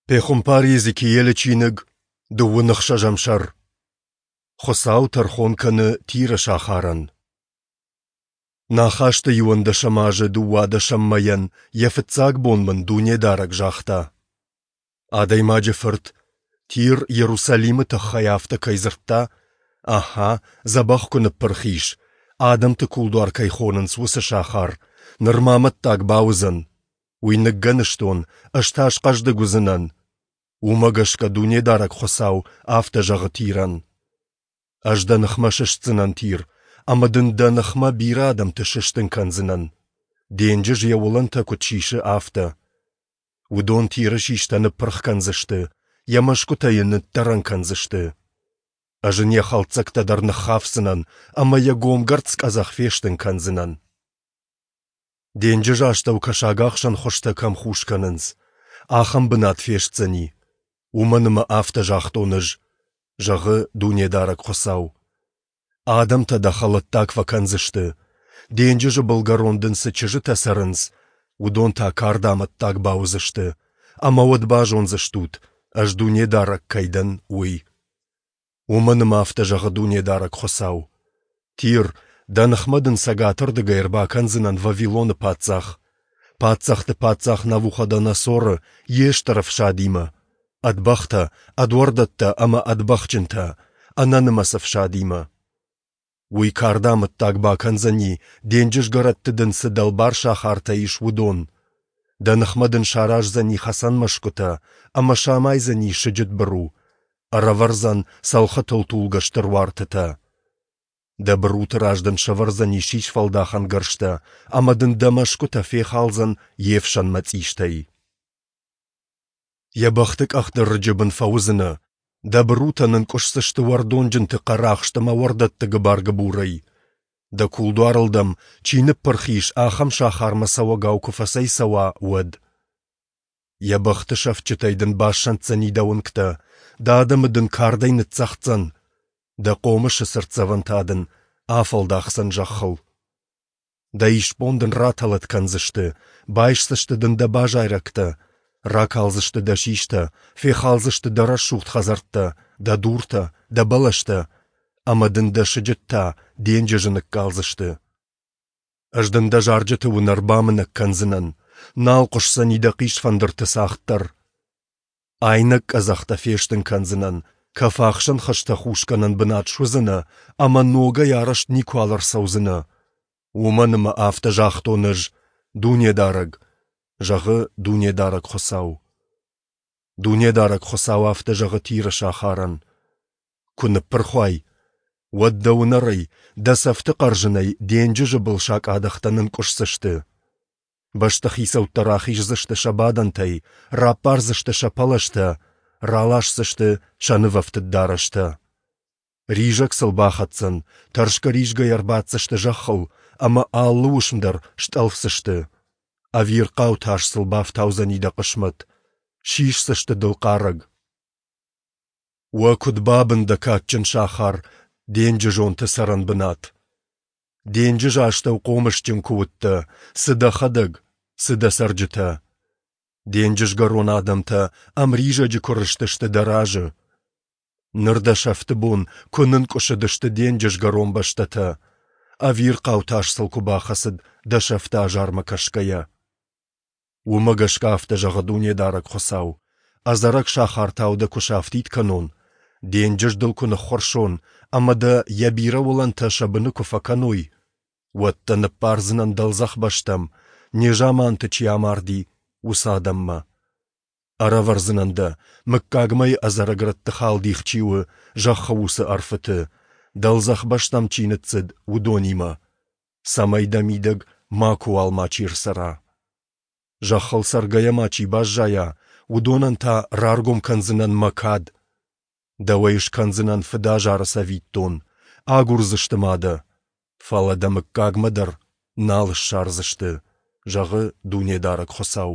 Пехуымпар Йезекиелы чиныг, дыууын ӕхсӕзӕм сӕр. Хуыцау тӕрхон кӕны Тиры сахарӕн. Нӕ хӕсты иуӕндӕсӕм азы дыууадӕсӕм мӕйӕн йӕ фыццаг бон мын Дунедарӕг загъта: Адӕймаджы фырт, Тир Йерусалимы тыххӕй афтӕ кӕй дзырдта, «Ахӕ, дзӕбӕх куы ныппырх ис, адӕмты кулдуар кӕй хонынц, уыцы сахар, ныр ма амӕттаг бауыдзӕн. Уый ныггӕныстон, ӕз та схъӕздыг уыдзынӕн. Уымӕ гӕсгӕ Дунедарӕг Хуыцау афтӕ зӕгъы Тирӕн: Ӕз дӕ ныхмӕ сыстдзынӕн, Тир, ӕмӕ дын дӕ ныхмӕ бирӕ адӕмты сыстын кӕндзынӕн, денджыз йӕ уылӕнтӕ куыд сисы, афтӕ. Уыдон Тиры систӕ ныппырх кӕндзысты, йӕ мӕсгуытӕ йын ныддӕрӕн кӕндзысты. Ӕз ын йӕ хӕлддзӕгтӕ дӕр ныххафдзынӕн ӕмӕ йӕ гомгӕрцц къӕдзӕх фестын кӕндзынӕн. Денджызы астӕу кӕсагахсӕн хуызтӕ кӕм хус кӕнынц, ахӕм бынат фестдзӕни, уымӕн ӕмӕ афтӕ загътон ӕз, зӕгъы Дунедарӕг Хуыцау. Адӕмтӕ дӕ хӕлӕттаг фӕкӕндзысты, денджызы былгӕрон дын цы чызджытӕ цӕрынц, уыдон та карды амӕттаг бауыдзысты, ӕмӕ уӕд базондзыстут, ӕз Дунедарӕг кӕй дӕн, уый. Уымӕн ӕмӕ афтӕ зӕгъы Дунедарӕг Хуыцау: Тир, дӕ ныхмӕ дын цӕгатырдыгӕй ӕрбакӕндзынӕн Вавилоны паддзах, паддзӕхты паддзах Навуходоносоры йе стыр ӕфсадимӕ, ӕд бӕхтӕ, ӕд уӕрдӕттӕ ӕмӕ ӕд бӕхджынтӕ, ӕнӕнымӕц ӕфсадимӕ. Уый карды амӕттаг бакӕндзӕни, денджызгӕрӕтты дын цы дӕлбар сахартӕ ис, уыдон. Дӕ ныхмӕ дын сараздзӕни хӕцӕн мӕсгуытӕ ӕмӕ самайдзӕни сыджыт быру, ӕрӕвӕрдзӕн цӕлхытыл тулгӕ стыр уартытӕ. Дӕ быруты раз дын сӕвӕрдзӕни сисфӕлдахӕн гӕрзтӕ ӕмӕ дын дӕ мӕсгуытӕ фехалдзӕн йе фсӕн мӕцъистӕй. Йӕ бӕхты къӕхты рыджы бын фӕуыдзынӕ, дӕ бырутӕ нынкъуысдзысты уӕрдонджынты хъӕрахст ӕмӕ уӕрдӕтты гыбар-гыбурӕй. Дӕ кулдуарыл дӕм, чи ныппырх ис, ахӕм сахармӕ цӕуӕгау куы фӕцӕйцӕуа, уӕд. Йӕ бӕхты сӕфтджытӕй дын бассӕнддзӕни дӕ уынгтӕ, дӕ адӕмы дын кардӕй ныццӕгъддзӕн, дӕ хъомысы цыртдзӕвӕн та дын афӕлдахдзӕн зӕххыл. Дӕ исбон дын ратӕлӕт кӕндзысты, байсдзысты дын дӕ базайрӕгтӕ, ракалдзысты дӕ систӕ, фехалдзысты дӕ рӕсугъд хӕдзӕрттӕ, дӕ дуртӕ, дӕ бӕлӕстӕ, ӕмӕ дын дӕ сыджыт та денджызы ныккалдзысты. Ӕз дын дӕ зарджыты уынӕр бамынӕг кӕндзынӕн, нал хъуысдзӕни дӕ хъисфӕндырты цагъд дӕр. Айнӕг къӕдзӕхтӕ фестын кӕндзынӕн, кӕфахсӕн хызтӕ хусгӕнӕн бынат суыдзынӕ ӕмӕ ногӕй арӕзт никуал ӕрцӕудзынӕ. Уымӕн ӕмӕ афтӕ загътон ӕз, Дунедарӕг, зӕгъы Дунедарӕг Хуыцау. Дунедарӕг Хуыцау афтӕ зӕгъы Тиры сахарӕн: Куы ныппырх уай, уӕд дӕ уынӕрӕй, дӕ цӕфты хъӕрзынӕй денджызы был сакъадӕхтӕ нынкъуысдзысты. Бӕстыхицӕуттӕ рахиздзысты сӕ бадӕнтӕй, раппардзысты сӕ пӕлӕзтӕ, раласдзысты сӕ нывӕфтыд дарӕстӕ. Ризӕг сыл бахӕцдзӕн, тӕрсгӕ-ризгӕйӕ ӕрбаддзысты зӕххыл ӕмӕ алы уысм дӕр стъӕлфдзысты. Ӕвирхъау тас сыл бафтаудзӕни дӕ хъысмӕт, сисдзысты дыл хъарӕг. Уӕ куыд бабын дӕ кадджын сахар, денджызонты цӕрӕнбынат! Денджызы астӕу хъомысджын куы уыдтӕ, цы дӕхӕдӕг, цы дӕ цӕрджытӕ! Денджызгӕрон адӕмтӕ ӕмризӕджы куы рызтысты дӕ разы. Ныр дӕ сӕфты бон куы нынкъуысыдысты денджызгӕрон бӕстӕтӕ, ӕвирхъау тас сыл куы бахӕцыд дӕ сӕфты азармӕ кӕсгӕйӕ. Уымӕ гӕсгӕ афтӕ зӕгъы Дунедарӕг Хуыцау: Ӕдзӕрӕг сахартау дӕ куы сафтид кӕнон, денджыз дыл куы ныххуырсон ӕмӕ дӕ йӕ бирӕ уылӕнтӕ сӕ быны куы фӕкӕной, уӕд дӕ ныппардзынӕн дӕлдзӕх бӕстӕм, незаманты чи амарди, уыцы адӕммӕ. Ӕрӕвӕрдзынӕн дӕ, мыггагмӕйы ӕдзӕрӕг рӕтты халдих чи у, зӕххы уыцы ӕрфыты, дӕлдзӕх бӕстӕм чи ныццыд, уыдонимӕ, цӕмӕй дӕ мидӕг макуыуал мачи ӕрцӕра. Зӕххыл цӕргӕйӕ ма чи баззайа, уыдонӕн та раргом кӕндзынӕн мӕ кад. Дӕуӕй скӕндзынӕн фыдазары цӕвиттон, агурдзысты ма дӕ, фӕлӕ дӕ мыггагмӕ дӕр нал ссардзысты, зӕгъы Дунедарӕг Хуыцау.